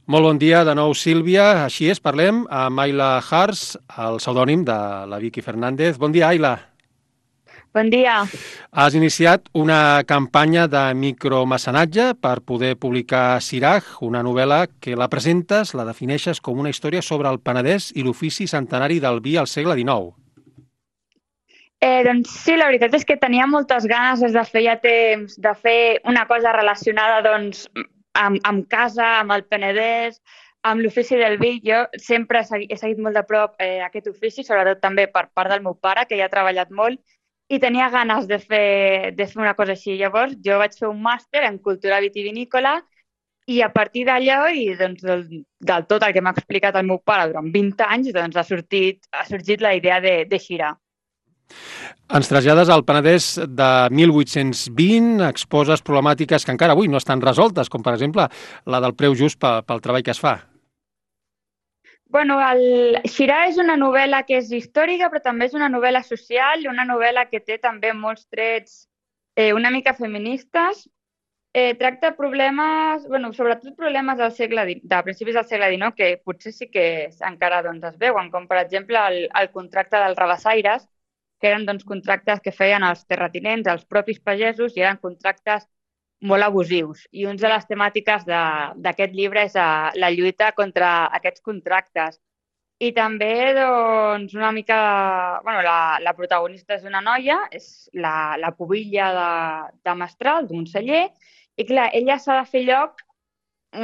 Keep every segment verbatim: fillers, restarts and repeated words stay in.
Molt bon dia de nou, Sílvia. Així és, parlem amb Ayla Hars, el pseudònim de la Vicky Fernández. Bon dia, Ayla. Bon dia. Has iniciat una campanya de micromecenatge per poder publicar Siraj, una novel·la que la presentes, la defineixes com una història sobre el Penedès i l'ofici centenari del vi al segle dinou. Eh, doncs sí, la veritat és que tenia moltes ganes des de feia temps de fer una cosa relacionada doncs, amb, amb casa, amb el Penedès, amb l'ofici del vi. Jo sempre he seguit, he seguit molt de prop eh, aquest ofici, sobretot també per part del meu pare, que hi ha treballat molt, i tenia ganes de fer, de fer una cosa així. Llavors jo vaig fer un màster en cultura vitivinícola i a partir d'allò i doncs, del, del tot el que m'ha explicat el meu pare durant vint anys, doncs, ha, sortit, ha sorgit la idea de, de Xirà. Ens trasllades al Penedès de mil vuit-cents vint, exposes problemàtiques que encara avui no estan resoltes, com per exemple la del preu just pel, pel treball que es fa. Bueno, el Xirà és una novel·la que és històrica, però també és una novel·la social, una novel·la que té també molts trets eh, una mica feministes. Eh, tracta problemes, bueno, sobretot problemes del segle, de principis del segle dinou, que potser sí que encara doncs, es veuen, com per exemple el, el contracte dels rabassaires, que eren doncs, contractes que feien els terratinents, els propis pagesos, i eren contractes molt abusius. I una de les temàtiques d'aquest llibre és uh, la lluita contra aquests contractes. I també, doncs, una mica... Bueno, la, la protagonista és una noia, és la, la pubilla de, de Mestral, d'un celler, i clar, ella s'ha de fer lloc,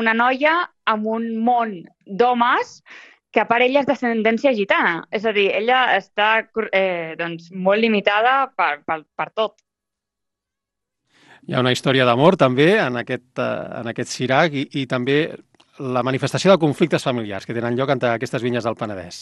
una noia, amb un món d'homes que a part ella és d'ascendència gitana. És a dir, ella està eh, doncs, molt limitada per, per, per tot. Hi ha una història d'amor també en aquest, uh, en aquest Siraj i, i també la manifestació de conflictes familiars que tenen lloc entre aquestes vinyes del Penedès.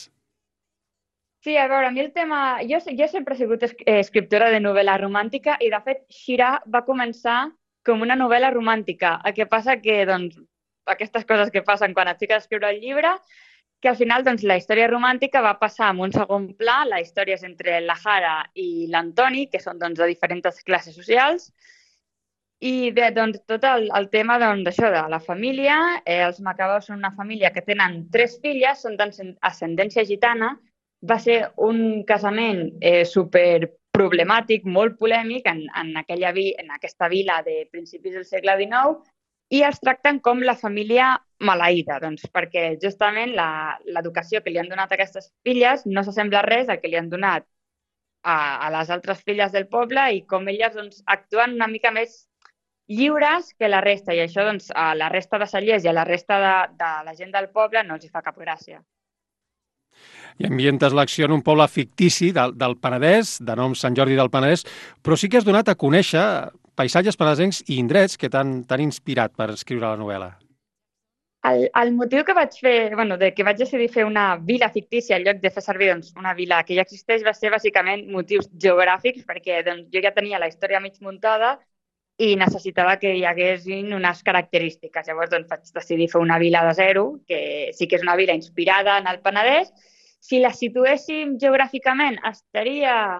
Sí, a veure, a mi el tema... Jo, jo sempre he sigut escriptora de novel·la romàntica i, de fet, Xirà va començar com una novel·la romàntica. El que passa que, doncs, aquestes coses que passen quan et fiques a escriure el llibre, que al final doncs, la història romàntica va passar en un segon pla. La història és entre la Jara i l'Antoni, que són doncs, de diferents classes socials, i bé, doncs, tot el, el tema doncs, d'això de la família. Eh, els Macabeus són una família que tenen tres filles, són d'ascendència gitana. Va ser un casament eh, super problemàtic, molt polèmic en, en, aquella vi, en aquesta vila de principis del segle dinou, i els tracten com la família maleïda, doncs, perquè justament l'educació que li han donat a aquestes filles no s'assembla res al que li han donat a, a les altres filles del poble, i com elles doncs, actuen una mica més lliures que la resta, i això doncs, a la resta de cellers i a la resta de, de la gent del poble no els hi fa cap gràcia. I ambientes l'acció en un poble fictici del, del Penedès, de nom Sant Jordi del Penedès, però sí que has donat a conèixer paisatges penedesencs i indrets que t'han inspirat per escriure la novel·la. El, el motiu que vaig fer, bueno, de que vaig decidir fer una vila fictícia en lloc de fer servir doncs, una vila que ja existeix, va ser bàsicament motius geogràfics, perquè doncs, jo ja tenia la història mig muntada i necessitava que hi haguessin unes característiques. Llavors doncs, vaig decidir fer una vila de zero, que sí que és una vila inspirada en el Penedès. Si la situéssim geogràficament, estaria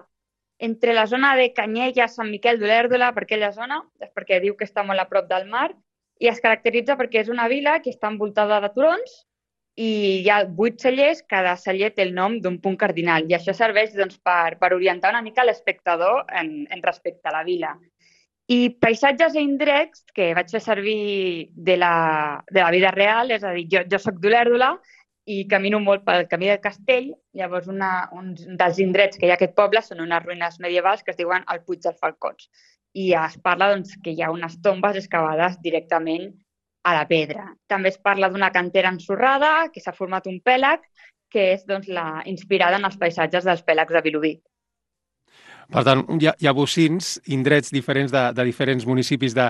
entre la zona de Canyella, Sant Miquel d'Olèrdola, per aquella zona, és perquè diu que està molt a prop del mar, i es caracteritza perquè és una vila que està envoltada de turons i hi ha vuit cellers, cada celler té el nom d'un punt cardinal, i això serveix doncs, per, per orientar una mica l'espectador en, en respecte a la vila. I paisatges i indrets que vaig fer servir de la, de la vida real, és a dir, jo, jo soc d'Olèrdola i camino molt pel camí del Castell. Llavors una, un dels indrets que hi ha a aquest poble són unes ruïnes medievals que es diuen el Puig dels Falcons, i es parla doncs, que hi ha unes tombes excavades directament a la pedra. També es parla d'una cantera ensorrada que s'ha format un pèlag, que és doncs, la, inspirada en els paisatges dels pèlags de Vilobí. Per tant, hi ha, hi ha bocins, indrets diferents de, de diferents municipis de,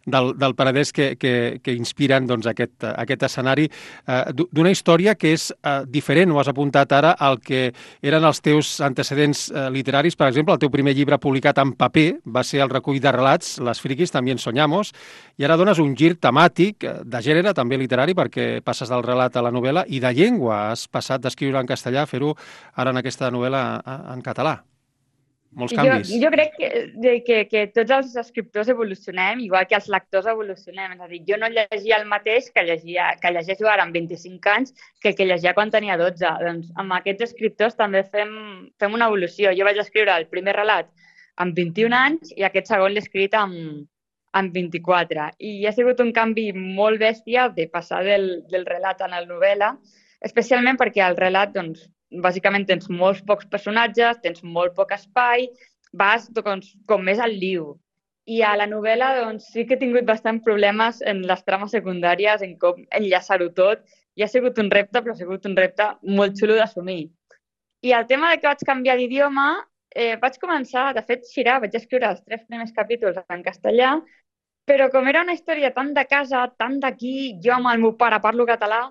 del, del Penedès que, que, que inspiren doncs, aquest, aquest escenari eh, d'una història que és eh, diferent, ho has apuntat ara, al que eren els teus antecedents eh, literaris. Per exemple, el teu primer llibre publicat en paper va ser el recull de relats Les friquis també en soñamos, i ara dones un gir temàtic, de gènere, també literari, perquè passes del relat a la novel·la, i de llengua. Has passat d'escriure en castellà a fer-ho ara en aquesta novel·la en català. molts Jo, canvis. jo crec que, de, que, que tots els escriptors evolucionem, igual que els lectors evolucionem. És a dir, jo no llegia el mateix que, llegia, que llegeixo ara amb vint-i-cinc anys que el que llegia quan tenia dotze. Doncs amb aquests escriptors també fem, fem una evolució. Jo vaig escriure el primer relat amb vint-i-un anys i aquest segon l'he escrit amb, amb vint-i-quatre. I ha sigut un canvi molt bèstia de passar del, del relat a la novel·la, especialment perquè el relat, doncs, bàsicament tens molts pocs personatges, tens molt poc espai, vas doncs, com més al liu. I a la novel·la doncs, sí que he tingut bastant problemes en les trames secundàries, en com enllaçar-ho tot, i ha sigut un repte, però ha sigut un repte molt xulo d'assumir. I el tema de que vaig canviar d'idioma, eh, vaig començar, de fet, Xirà, vaig escriure els tres primers capítols en castellà, però com era una història tan de casa, tan d'aquí, jo amb el meu pare parlo català,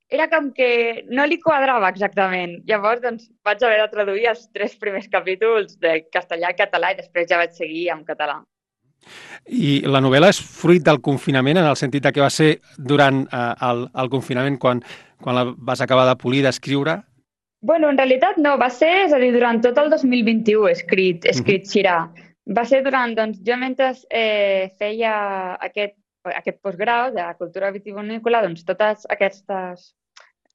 era com que no li quadrava exactament. Llavors, doncs, vaig haver de traduir els tres primers capítols de castellà a català i després ja vaig seguir en català. I la novel·la és fruit del confinament, en el sentit de que va ser durant eh, el, el confinament quan, quan la vas acabar de polir, d'escriure? Bueno, en realitat no, va ser, és a dir, durant tot el dos mil vint-i-u he escrit, he escrit uh -huh. Xirà. Va ser durant, doncs, jo mentre eh, feia aquest, aquest postgrau de cultura vitivinícola, doncs totes aquestes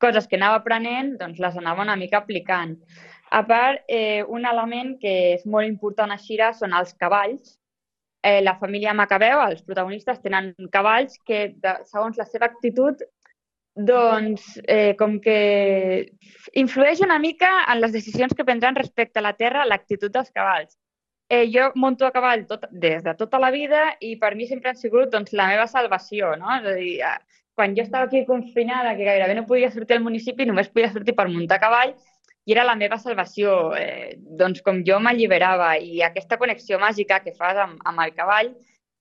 coses que anava aprenent, doncs les anava una mica aplicant. A part, eh, un element que és molt important a Xirà són els cavalls. Eh, la família Macabeu, els protagonistes, tenen cavalls que, de, segons la seva actitud, doncs, eh, com que influeix una mica en les decisions que prendran respecte a la terra l'actitud dels cavalls. Eh, jo monto a cavall tot, des de tota la vida i per mi sempre han sigut doncs, la meva salvació, no? És a dir, quan jo estava aquí confinada, que gairebé no podia sortir al municipi, només podia sortir per muntar a cavall i era la meva salvació. Eh, doncs com jo m'alliberava i aquesta connexió màgica que fas amb, amb el cavall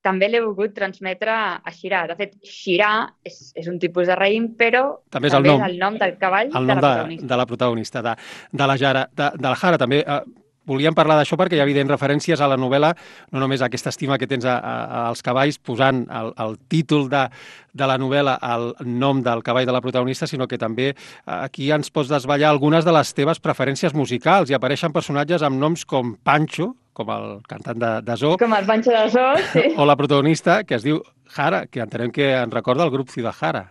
també l'he volgut transmetre a Xirà. De fet, Xirà és, és un tipus de raïm, però també és també el nom, és el nom del cavall el nom de la de, protagonista. de la protagonista, de, de la Jara, de, de la Jara. També eh, volíem parlar d'això perquè hi ha evidents referències a la novel·la, no només a aquesta estima que tens a, a, als cavalls, posant el, el títol de, de la novel·la al nom del cavall de la protagonista, sinó que també aquí ens pots desvetllar algunes de les teves preferències musicals. Hi apareixen personatges amb noms com Pancho, com el cantant de, de Zoo, com el Pancho de Zoo, sí. O la protagonista, que es diu Jara, que entenem que en recorda el grup Ciudad Jara.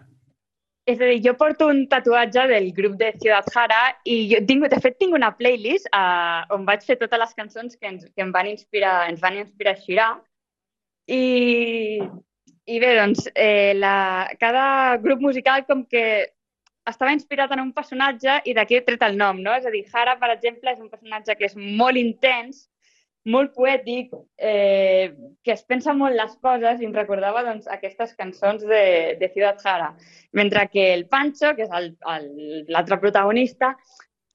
És a dir, jo porto un tatuatge del grup de Ciudad Jara i jo tinc, de fet tinc una playlist uh, on vaig fer totes les cançons que ens, que em van inspirar, ens van inspirar a Xirà. I, i bé, doncs, eh, la, cada grup musical com que estava inspirat en un personatge i d'aquí he tret el nom, no? És a dir, Jara, per exemple, és un personatge que és molt intens, molt poètic, eh, que es pensa molt les coses i em recordava doncs, aquestes cançons de, de Ciudad Jara. Mentre que el Pancho, que és l'altre protagonista,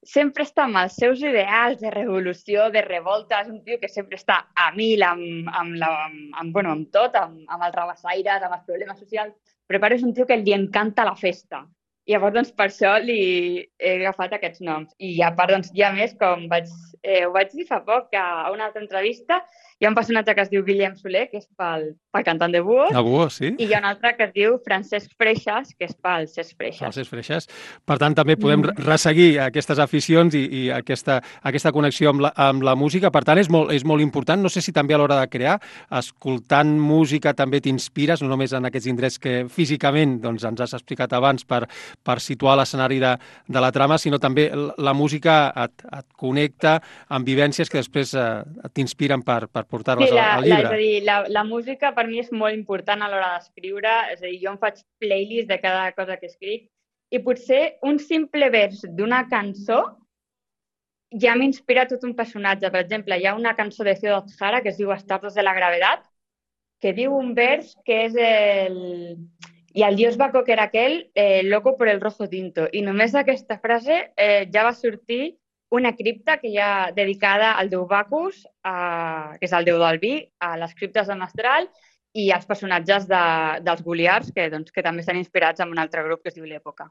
sempre està amb els seus ideals de revolució, de revolta. És un tio que sempre està a mil amb, amb, la, amb, amb, bueno, amb tot, amb, amb els rabassaires, amb els problemes socials, però però és un tio que li encanta la festa. I llavors, doncs, per això li he agafat aquests noms. I a part, doncs, hi ha més, com vaig, eh, ho vaig dir fa poc a una altra entrevista, hi ha un personatge que es diu Guillem Soler, que és pel, pel cantant de Buos. De Buos, sí. I hi ha un altre que es diu Francesc Freixas, que és pel Cesc Freixas. El Cesc Freixas. Per tant, també podem mm. resseguir aquestes aficions i, i aquesta, aquesta connexió amb la, amb la música. Per tant, és molt, és molt important. No sé si també a l'hora de crear, escoltant música també t'inspires, no només en aquests indrets que físicament doncs, ens has explicat abans per, per situar l'escenari de, de la trama, sinó també la música et, et connecta amb vivències que després eh, t'inspiren per, per portar-les sí, la, al llibre. La, és a dir, la, la música per mi és molt important a l'hora d'escriure, és a dir, jo em faig playlist de cada cosa que escric i potser un simple vers d'una cançó ja m'inspira tot un personatge. Per exemple, hi ha una cançó de Ciudad Jara que es diu Estados de la Gravedad, que diu un vers que és el... I el dios Baco, que era aquell, eh, loco por el rojo tinto. I només d'aquesta frase eh, ja va sortir una cripta que hi ha dedicada al déu Bacus, a, que és el déu del vi, a les criptes de Mestral i als personatges de, dels Goliars, que, doncs, que també estan inspirats en un altre grup que es diu l'Època.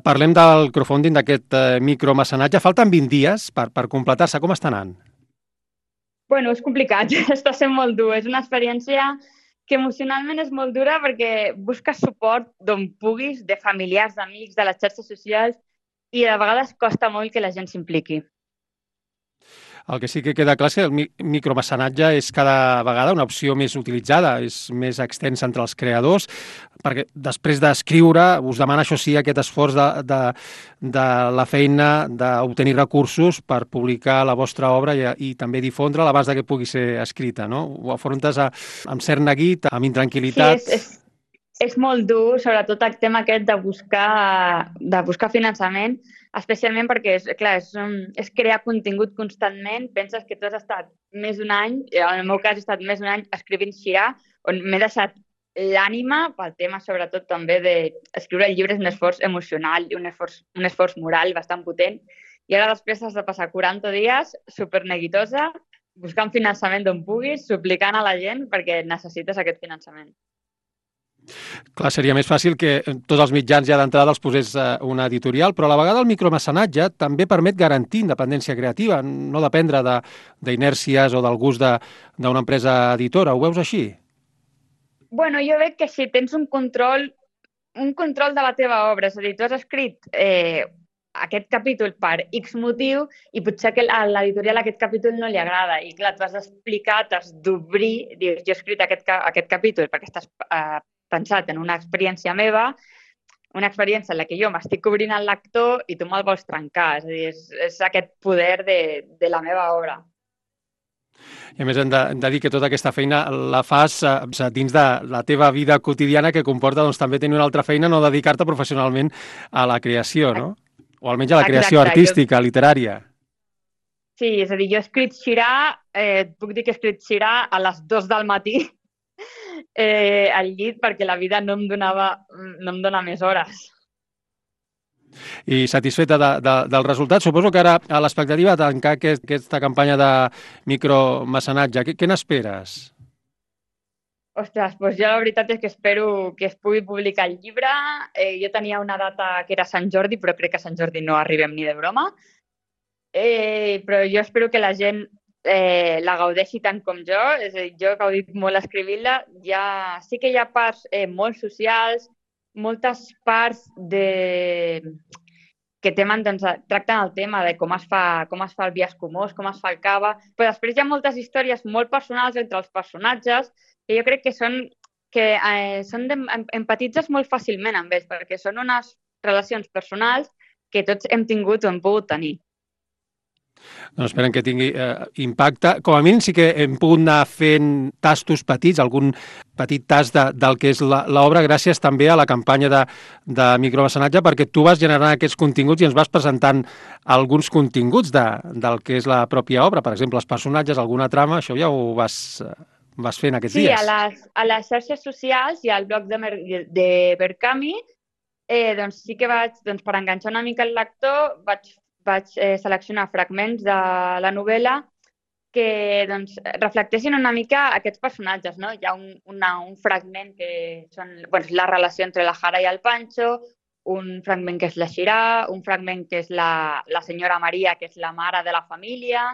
Parlem del crowdfunding, d'aquest eh, micromecenatge. Falten vint dies per, per completar-se. Com està anant? Bueno, és complicat. Està sent molt dur. És una experiència que emocionalment és molt dura perquè busques suport d'on puguis, de familiars, d'amics, de les xarxes socials, i de vegades costa molt que la gent s'impliqui. El que sí que queda clar és que el mi micromecenatge és cada vegada una opció més utilitzada, és més extensa entre els creadors, perquè després d'escriure us demana, això sí, aquest esforç de, de, de la feina d'obtenir recursos per publicar la vostra obra i, i també difondre-la abans de que pugui ser escrita, no? Ho afrontes a, amb cert neguit, amb intranquil·litat. Sí, és, és, és molt dur, sobretot el tema aquest de buscar, de buscar finançament, especialment perquè, és, clar, és, és crear contingut constantment. Penses que tu has estat més d'un any, en el meu cas he estat més d'un any escrivint Xirà, on m'he deixat l'ànima pel tema, sobretot, també d'escriure el llibre és un esforç emocional i un esforç, un esforç moral bastant potent. I ara després has de passar quaranta dies superneguitosa, buscant finançament d'on puguis, suplicant a la gent perquè necessites aquest finançament. Clar, seria més fàcil que tots els mitjans ja d'entrada els posés una editorial, però a la vegada el micromecenatge també permet garantir independència creativa, no dependre d'inèrcies o del gust d'una empresa editora. Ho veus així? Bueno, jo veig que si tens un control, un control de la teva obra, és a dir, tu has escrit eh, aquest capítol per X motiu i potser que a l'editorial aquest capítol no li agrada i clar, tu has d'explicar, t'has d'obrir, dius, jo he escrit aquest, aquest capítol perquè estàs eh, pensat en una experiència meva, una experiència en la que jo m'estic obrint al lector i tu me'l vols trencar. És a dir, és, és aquest poder de, de la meva obra. I a més hem de, hem de dir que tota aquesta feina la fas eh, dins de la teva vida quotidiana, que comporta doncs, també tenir una altra feina, no dedicar-te professionalment a la creació, no? O almenys a la creació Exacte, artística, jo... literària. Sí, és a dir, jo he escrit Xirà, eh, puc dir que he escrit Xirà a les dues del matí, Eh, al llit perquè la vida no em donava no em dona més hores. I satisfeta de, de, del resultat? Suposo que ara a l'expectativa de tancar aquest, aquesta campanya de micromecenatge, què, què n'esperes? Ostres, doncs jo la veritat és que espero que es pugui publicar el llibre. Eh, jo tenia una data que era Sant Jordi, però crec que a Sant Jordi no arribem ni de broma. Eh, però jo espero que la gent Eh, la gaudeixi tant com jo, és a dir, jo he gaudit molt escrivint-la. Ja, sí que hi ha parts eh, molt socials, moltes parts de... que temen, doncs, tracten el tema de com es fa, com es fa el biaix comós, com es fa el cava, però després hi ha moltes històries molt personals entre els personatges que jo crec que són que eh, són de, empatitzes molt fàcilment amb ells, perquè són unes relacions personals que tots hem tingut o hem pogut tenir. Doncs esperen que tingui eh, impacte. Com a mínim sí que hem pogut anar fent tastos petits, algun petit tast de, del que és l'obra, gràcies també a la campanya de, de micromecenatge, perquè tu vas generant aquests continguts i ens vas presentant alguns continguts de, del que és la pròpia obra, per exemple, els personatges, alguna trama, això ja ho vas, vas fent aquests sí, dies. Sí, a les, a les xarxes socials i al blog de, de Berkami, eh, doncs sí que vaig, doncs, per enganxar una mica el lector, vaig vaig eh, seleccionar fragments de la novel·la que doncs, reflectessin una mica aquests personatges. No? Hi ha un, una, un fragment que són doncs, la relació entre la Jara i el Pancho, un fragment que és la Xirà, un fragment que és la, la senyora Maria, que és la mare de la família,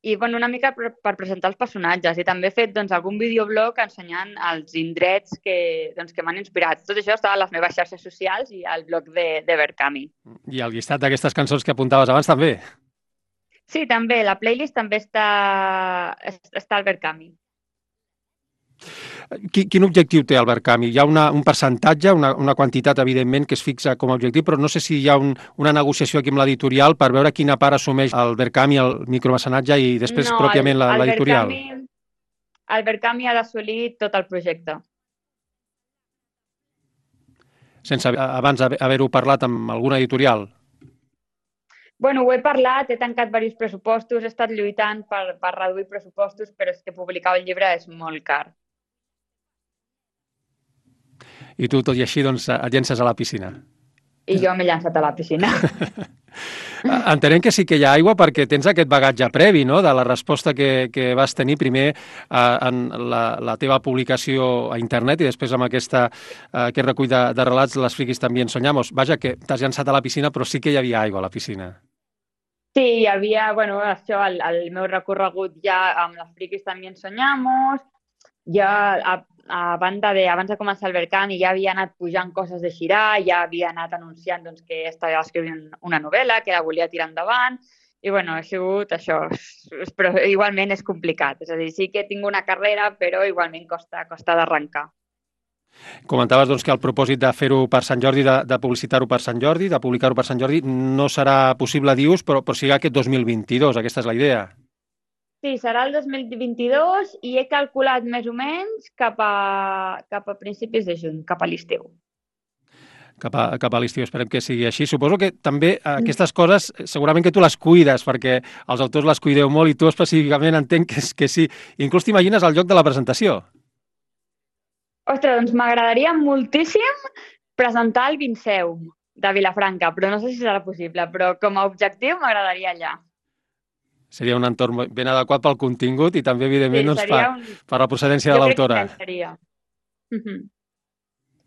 i bueno, una mica per, per presentar els personatges. I també he fet doncs, algun videoblog ensenyant els indrets que, doncs, que m'han inspirat. Tot això està a les meves xarxes socials i al blog de, de Berkami. I el llistat d'aquestes cançons que apuntaves abans també? Sí, també. La playlist també està, està al Berkami. Quin objectiu té el Berkami? Hi ha una, un percentatge, una, una quantitat, evidentment, que es fixa com a objectiu, però no sé si hi ha un, una negociació aquí amb l'editorial per veure quina part assumeix el Berkami, el micromecenatge i després no, pròpiament l'editorial. El Berkami ha d'assolir tot el projecte. Sense abans haver-ho parlat amb alguna editorial? Bueno, ho he parlat, he tancat diversos pressupostos, he estat lluitant per, per reduir pressupostos, però és que publicar un llibre és molt car. I tu, tot i així, doncs, et llences a la piscina. I jo m'he llançat a la piscina. Entenem que sí que hi ha aigua perquè tens aquest bagatge previ, no?, de la resposta que, que vas tenir primer eh, en la, la teva publicació a internet i després amb aquesta, eh, aquest recull de, de relats, Les friquis també en soñamos. Vaja, que t'has llançat a la piscina, però sí que hi havia aigua a la piscina. Sí, hi havia, bueno, això, el, el meu recorregut ja amb Les friquis també en soñamos, ja a, a banda de, abans de començar el Berkami ja havia anat pujant coses de Xirà, ja havia anat anunciant doncs, que estava escrivint una novel·la, que la volia tirar endavant, I, bueno, ha sigut això, però igualment és complicat. És a dir, sí que tinc una carrera, però igualment costa, costa d'arrencar. Comentaves doncs, que el propòsit de fer-ho per Sant Jordi, de, de publicitar-ho per Sant Jordi, de publicar-ho per Sant Jordi, no serà possible, dius, però, però sigui aquest dos mil vint-i-dos, aquesta és la idea. Sí, serà el dos mil vint-i-dos i he calculat més o menys cap a, cap a principis de juny, cap a l'estiu. Cap a, cap a l'estiu, esperem que sigui així. Suposo que també aquestes coses segurament que tu les cuides, perquè els autors les cuideu molt i tu específicament entenc que, que sí. Inclús t'imagines el lloc de la presentació. Ostres, doncs m'agradaria moltíssim presentar el Vinceum de Vilafranca, però no sé si serà possible, però com a objectiu m'agradaria allà. Seria un entorn ben adequat pel contingut i també, evidentment, sí, doncs, per, un... per la procedència de l'autora. Jo crec que seria. Uh-huh.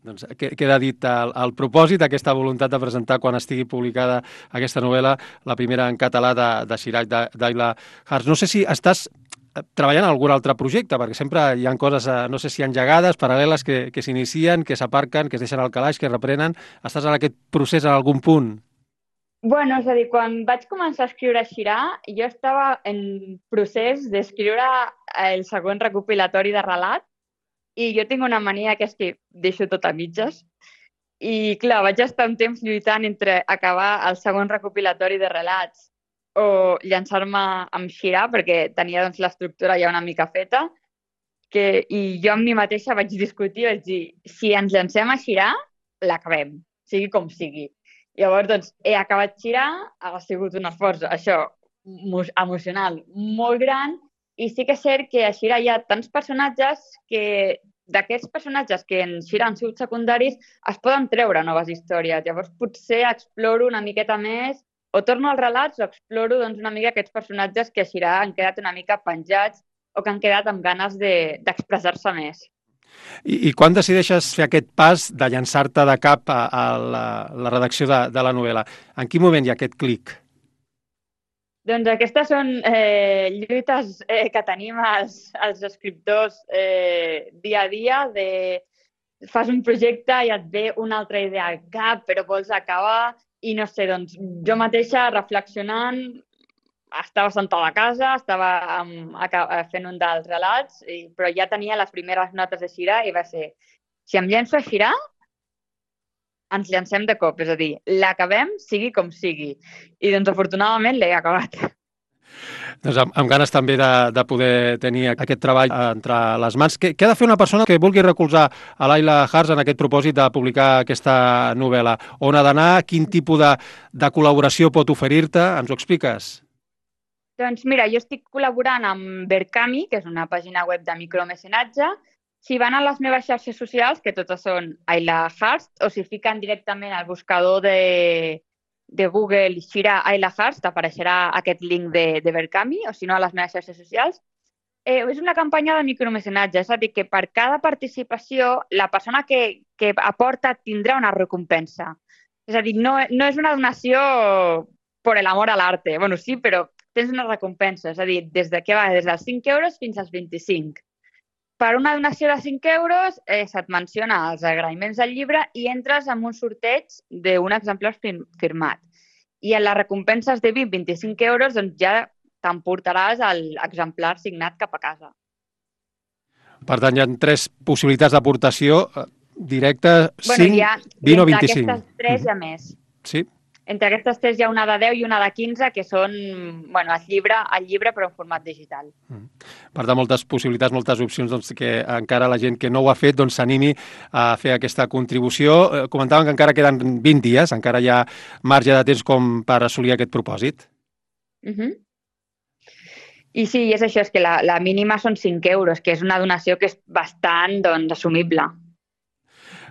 Doncs queda dit el, el propòsit, aquesta voluntat de presentar quan estigui publicada aquesta novel·la, la primera en català de, de Sirach d'Ayla Hart. No sé si estàs treballant en algun altre projecte, perquè sempre hi ha coses, no sé si engegades, paral·leles, que, que s'inicien, que s'aparquen, que es deixen al calaix, que reprenen. Estàs en aquest procés en algun punt? Bueno, és a dir, quan vaig començar a escriure Xirà, jo estava en procés d'escriure el següent recopilatori de relat i jo tinc una mania que és que deixo tot a mitges. I, clar, vaig estar un temps lluitant entre acabar el següent recopilatori de relats o llançar-me amb Xirà, perquè tenia doncs, l'estructura ja una mica feta, que, i jo amb mi mateixa vaig discutir i vaig dir, si ens llancem a Xirà, l'acabem, sigui com sigui. Llavors, doncs, he acabat Xirà, ha sigut un esforç, això, emocional molt gran, i sí que és cert que a Xirà hi ha tants personatges que d'aquests personatges que en Xirà han sigut secundaris es poden treure noves històries. Llavors, potser exploro una miqueta més, o torno als relats o exploro doncs, una mica aquests personatges que a Xirà han quedat una mica penjats o que han quedat amb ganes d'expressar-se més. I, I quan decideixes fer aquest pas de llançar-te de cap a, a la, la redacció de, de la novel·la? En quin moment hi ha aquest clic? Doncs aquestes són eh, lluites eh, que tenim els, els escriptors eh, dia a dia, de fas un projecte i et ve una altra idea al cap, però vols acabar i no sé, doncs jo mateixa reflexionant, estava sentada a casa, estava um, fent un dels relats, i, però ja tenia les primeres notes de Xirà i va ser, si em llenço a Xirà, ens llancem de cop, és a dir, l'acabem sigui com sigui. I doncs afortunadament l'he acabat. Doncs amb, amb ganes també de, de poder tenir aquest treball entre les mans. Què, què ha de fer una persona que vulgui recolzar a l'Ayla Hart en aquest propòsit de publicar aquesta novel·la? On ha d'anar? Quin tipus de, de col·laboració pot oferir-te? Ens ho expliques? Doncs mira, jo estic col·laborant amb Berkami, que és una pàgina web de micromecenatge. Si van a les meves xarxes socials, que totes són Ayla Hart, o si fiquen directament al buscador de, de Google Xirà Ayla Hart, t'apareixerà aquest link de, de Berkami, o si no a les meves xarxes socials. Eh, és una campanya de micromecenatge, és a dir, que per cada participació la persona que, que aporta tindrà una recompensa. És a dir, no, no és una donació per l'amor a l'arte. Bueno, sí, però tens una recompensa, és a dir, des de què va? Des dels cinc euros fins als vint-i-cinc. Per una donació de cinc euros eh, se't menciona els agraïments del llibre i entres en un sorteig d'un exemplar firmat. I en les recompenses de vint a vint-i-cinc euros doncs ja t'emportaràs l'exemplar signat cap a casa. Per tant, hi ha tres possibilitats d'aportació directa, bueno, cinc, ha, vint o vint-i-cinc. Entre aquestes tres hi ha més. Sí. Entre aquestes tres hi ha una de deu i una de quinze, que són bueno, el, llibre, el llibre però en format digital. Per tant, moltes possibilitats, moltes opcions doncs, que encara la gent que no ho ha fet doncs, s'animi a fer aquesta contribució. Comentàvem que encara queden vint dies, encara hi ha marge de temps com per assolir aquest propòsit. Uh -huh. I sí, és això, és que la, la mínima són cinc euros, que és una donació que és bastant doncs, assumible.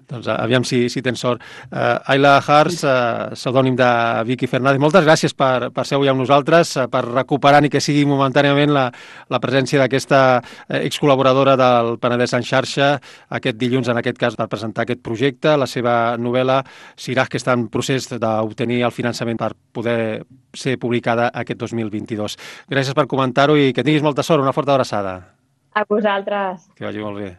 Doncs aviam si, si tens sort. Uh, Ayla Hart, uh, pseudònim de Vicky Fernández, moltes gràcies per, per ser avui amb nosaltres, uh, per recuperar ni que sigui momentàniament la, la presència d'aquesta excol·laboradora del Penedès en xarxa aquest dilluns, en aquest cas, per presentar aquest projecte, la seva novel·la Sirach, que està en procés d'obtenir el finançament per poder ser publicada aquest dos mil vint-i-dos. Gràcies per comentar-ho i que tinguis molta sort. Una forta abraçada. A vosaltres. Que vagi molt bé.